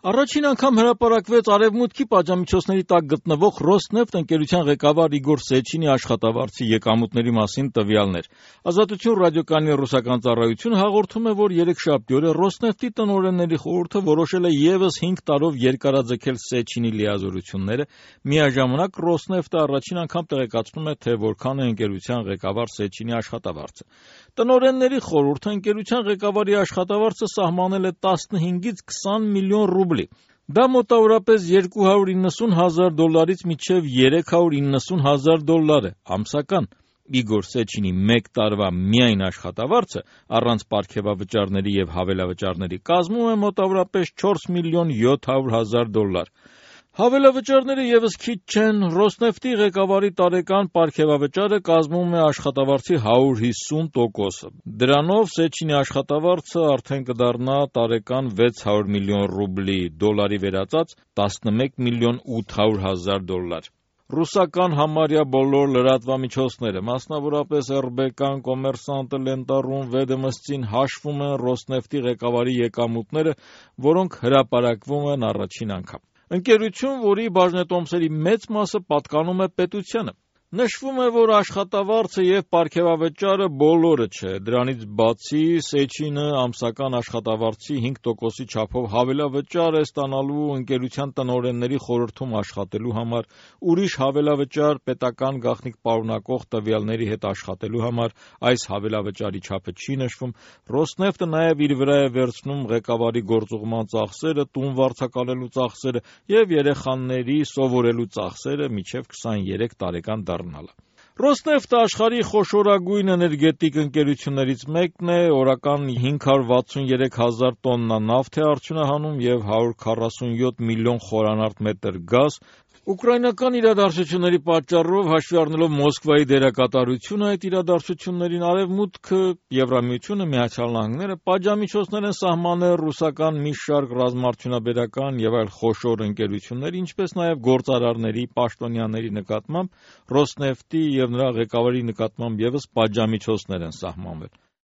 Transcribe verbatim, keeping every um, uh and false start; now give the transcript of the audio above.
Առաջին անգամ հրապարակվեց Արևմուտքի պատժամիջոցների տակ գտնվող «Ռոսնեֆթ» ընկերության ղեկավար Իգոր Սեչինի աշխատավարձի եկամուտների մասին տվյալներ։ «Ազատություն» ռադիոկայանի ռուսական ծառայությունը հաղորդում է, որ երեքշաբթի օրը «Ռոսնեֆթ»-ի տնօրենների խորհուրդը որոշել է ևս հինգ տարով երկարաձգել Սեչինի լիազորությունները։ Միաժամանակ «Ռոսնեֆթ»-ը առաջին անգամ տեղեկացնում է, թե որքան է ընկերության ղեկավար Սեչինի աշխատավարձը։ Տնօրենների խորհուրդը ընկերության ղեկավարի աշխատավարձը սահմանել է տասնհինգից քսան միլիոն ռուբլի։ Դա մոտավորապես երկու հարյուր իննսուն հազար դոլարից մինչև երեք հարյուր իննսուն հազար դոլար է ամսական։ Իգոր Սեչինի մեկ տարվա միայն աշխատավարձը առանց պարգևավճարների և հավելավճարների կազմում է մոտավորապես չորս միլիոն յոթ հարյուր հազար դոլար։ Հավելավճարները ևս քիչ չեն։ «Ռոսնեֆթ»-ի ղեկավարի տարեկան պարգևավճարը կազմում է աշխատավարձի հարյուր հիսուն տոկոսը։ Դրանով Սեչինի աշխատավարձը արդեն կդառնա տարեկան վեց հարյուր միլիոն ռուբլի, դոլարի վերածած տասնմեկ միլիոն ութ հարյուր հազար դոլար։ Ռուսական համարյա բոլոր լրատվամիջոցները, մասնավորապես եռ բե կան, Կոմերսանտը, Լենտարուն, Վեդոմստին հաշվում են «Ռոսնեֆթ»-ի ղեկավարի եկամուտները, որոնք հրապարակվում են առաջին անգամ։ Ընկերություն, որի բաժնետոմսերի մեծ մասը պատկանում է պետությանը։ Նշվում է, որ աշխատավարձը և պարգևավճարը բոլորը չէ։ Դրանից բացի Սեչինը ամսական աշխատավարձի հինգ տոկոսի չափով հավելավճար է ստանալու ընկերության տնօրենների խորհրդում աշխատելու համար, ուրիշ հավելավճար պետական գաղտնիք պարունակող տվյալների հետ աշխատելու համար, այս հավելավճարի չափը չի նշվում։ «Ռոսնեֆթ»-ը նաև իր վրա է վերցնում ղեկավարի գործուղման ծախսերը, տուն վարձակալելու ծախսերը և երեխաների սովորելու ծախսերը մինչև քսաներեք տարեկան դառնալը։ «Ռոսնեֆթ»-ը աշխարհի խոշորագույն էներգետիկ ընկերություններից մեկն է, օրական հինգ հարյուր վաթսուներեք հազար տոննա նավթ է արդյունահանում և հարյուր քառասունյոթ միլիոն խորանարդ մետր գազ։ Ուկրաինական իրադարձությունների պատճառով, հաշվի առնելով Մոսկվայի դերակատարությունը այդ իրադարձություններին, Արևմուտքը, Եվրամիությունը, Միացյալ Նահանգները պատժամիջոցներ են սահմանել ռուսական մի շարք ռազմաարդյունաբերական և այլ խոշոր ընկերությունների, ինչպես նաև գործարարների, պաշտոնյաների նկատմամբ, «Ռոսնեֆթ»-ի և նրա ղեկավարի նկատմամբ ևս պատժամիջոցներ են սահմանվել։